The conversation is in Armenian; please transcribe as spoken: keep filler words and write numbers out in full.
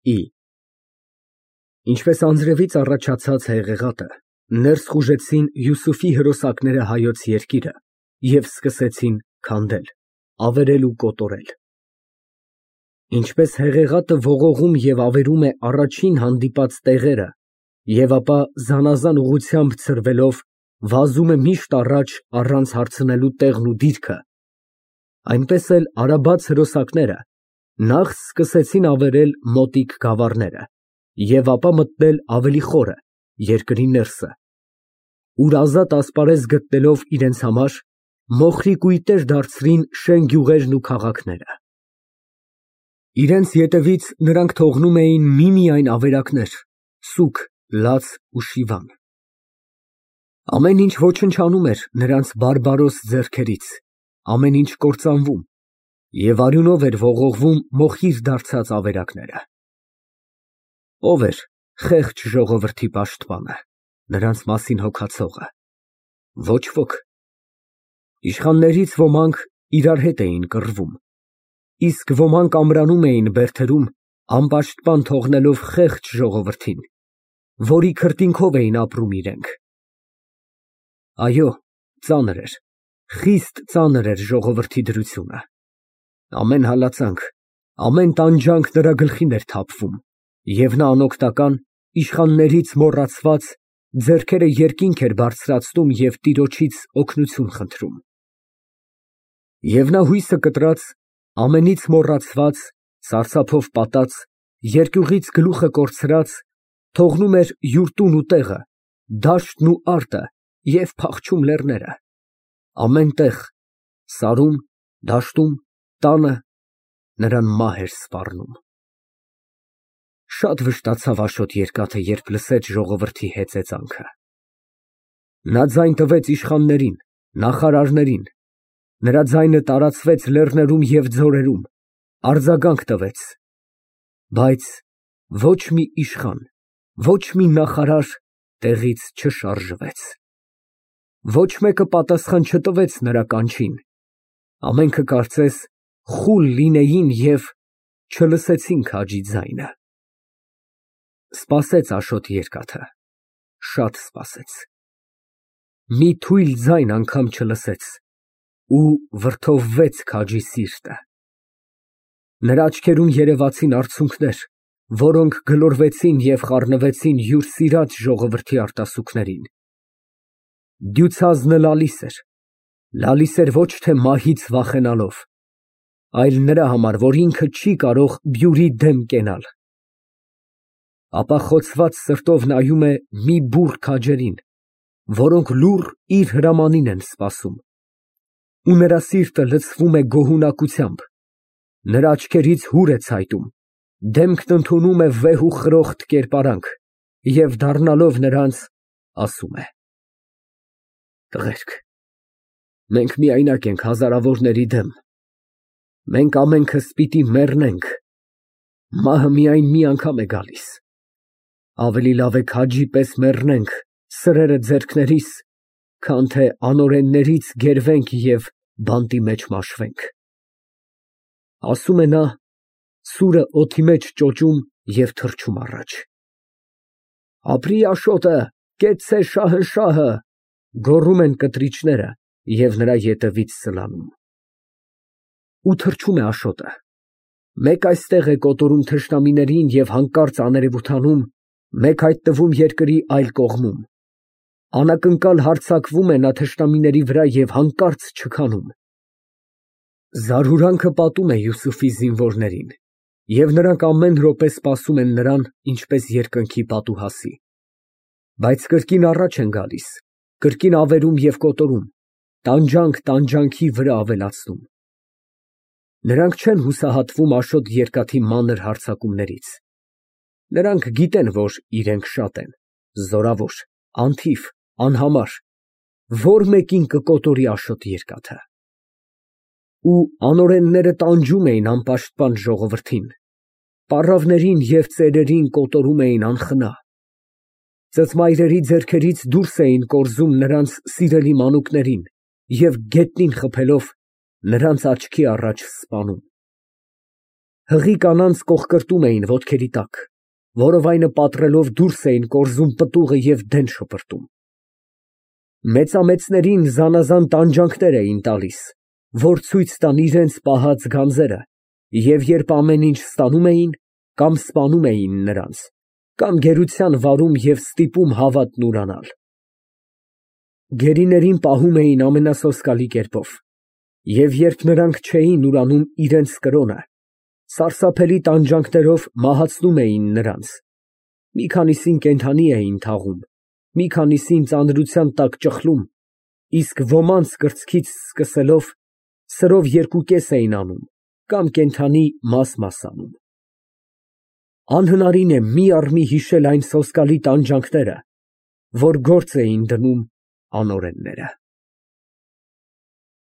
Ի Ինչպես անձրևից առաջացած հեղեղատը, ներս խուժեցին Յուսուֆի հրոսակները հայոց երկիրը և սկսեցին քանդել, ավերել ու կոտորել։ Ինչպես հեղեղատը ողողում և ավերում է առաջին հանդիպած տեղերը և ապա զանազան ուղղությամբ ցրվելով վազում է միշտ առաջ առանց հարցնելու տեղն ու դիրքը, այնպես էլ արաբաց հրոսակները նախ սկսեցին ավերել մոտիկ գավառները և ապա մտնել ավելի խորը, երկրի ներսը, ուր ազատ ասպարեզ գտնելով իրենց համար, մոխրի կույտեր դարձրին շեն գյուղերն ու քաղաքները։ Իրենց ետևից նրանք թողնում էին միմիայն ավերակներ, սուգ, լաց ու շիվան։ Ամեն ինչ ոչնչանում էր նրանց բարբարոս ձեռքերից, ամեն ինչ կործանվում, և արյունով էր ողողվում մոխիր դարձած ավերակները։ Ո՞վ էր խեղճ ժողովրդի պաշտպանը, նրանց մասին հոգացողը։ Ոչ ոք։ Իշխաններից ոմանք իրար հետ էին կռվում, իսկ ոմանք ամրանում էին բերդերում, անպաշտպան թողնելով խեղճ ժողովրդին, որի քրտինքով էին ապրում իրենք։ Այո, ծանր էր, խիստ ծանր էր ժողովրդի դրությունը։ Ամեն հալածանք, ամեն տանջանք նրա գլխին էր թափվում, և նա անօգնական, իշխաններից մոռացված, ձեռքերը երկինք էր բարձրացնում և տիրոջից օգնություն խնդրում։ Եվ նա հույսը կտրած, ամենից մոռացված, սարսափով պատած, երկյուղից գլուխը կորցրած, թողնում էր յուր տուն ու տեղը, դաշտն ու արտը և փախչում լեռները, ամեն տեղ, սարում, դաշտում, տանը, նրան մահ էր սպառնում։ Շատ վշտացավ Աշոտ Երկաթը, երբ լսեց ժողովրդի հեծեծանքը։ Նա ձայն տվեց իշխաններին, նախարարներին, նրա ձայնը տարածվեց լեռներում և ձորերում, արձագանք տվեց, բայց ոչ մի իշխան, ոչ մի նախարար տեղից չշարժվեց։ Ոչ մեկը պատասխան չտվեց նրա կանչին, ամենքը կարծես խուլ լինեին և չլսեցին քաջի ձայնը։ Սպասեց Աշոտ Երկաթը, շատ սպասեց։ Մի թույլ ձայն անգամ չլսեց ու վրդովվեց քաջի սիրտը։ Նրա աչքերում երևացին արցունքներ, որոնք գլորվեցին և խառնվեցին յուր սիրած ժողովրդի արտասուքներին։ Դյուցազնը լալիս էր, լալիս էր ոչ թե մահից վախենալով, այլ նրա համար, որ ինքը չի կարող բյուրի դեմ կենալ։ Ապա խոցված սրտով նայում է մի բուռ քաջերին, որոնք լուռ իր հրամանին են սպասում, ու նրա սիրտը լցվում է գոհունակությամբ, նրա աչքերից հուր է ցայտում, դեմքն ընդունում է վեհ ու խրոխտ կերպարանք և դառնալով նրանց, ասում է. Տղերք, մենք միայնակ ենք հազարավորների դեմ, մենք ամենքս պիտի մեռնենք, մահը միայն մի անգամ է գալիս, ավելի լավ է քաջի պես մեռնենք սրերը ձեռքներիս, քան թե անօրեններից գերվենք և բանտի մեջ մաշվենք։ Ասում է նա, սուրը օդի մեջ ճոճում և թռչում առաջ։ Ապրի Աշոտը, կեցցե շահնշահը, գոռում են կտրիչները և նրա ետևից սլանում։ Ու թռչում է Աշոտը, մեկ այստեղ է կոտորում թշնամիներին և հանկարծ աներևութանում, մեկ հայտնվում երկրի այլ կողմում, անակնկալ հարձակվում է նա թշնամիների վրա և հանկարծ չքանում։ Զարհուրանքը պատում է Յուսուֆի զինվորներին, և նրանք ամեն րոպե սպասում են նրան, ինչպես երկնքի պատուհասի, բայց կրկին առաջ են գալիս, կրկին ավերում և կոտորում, տանջանք տանջանքի վրա ավելացնում։ Նրանք չեն հուսահատվում Աշոտ Երկաթի մանր հարձակումներից։ Նրանք գիտեն, որ իրենք շատ են, զորավոր, անթիվ, անհամար, որ մեկին կկոտորի Աշոտ Երկաթը։ Ու անօրենները տանջում էին անպաշտպան ժողովրդին, պառավներին և ծերերին կոտորում էին անխնա, ծծմայրերի ձեռքերից դուրս էին կորզում նրանց սիրելի մանուկներին և գետնին խփելով նրանց աչքի առաջ սպանում։ Հղի կանանց կոխկրտում էին ոտքերի տակ, որովայնը պատռելով դուրս էին կորզում պտուղը և դեն շպրտում։ Մեծամեծներին զանազան տանջանքներ էին տալիս, որ ցույց տան իրենց պահած գանձերը, և երբ ամեն ինչ ստանում էին, կամ սպանում էին նրանց, կամ գերության վարում և ստիպում հավատն ուրանալ։ Գերիներին պահում էին ամենասոսկալի կերպով, և երբ նրանք չէին ուրանում իրենց կրոնը, սարսափելի տանջանքներով մահացնում էին նրանց, մի քանիսին կենդանի էին թաղում, մի քանիսին ծանրության տակ ճխլում, իսկ ոմանց կրծքից սկսելով սրով երկուկես էին անում կամ կենդանի մաս֊մաս անում։ Անհնարին է մի առ մի հիշել այն սոսկալի տանջանքները, որ գործ էին դնում անօրենները։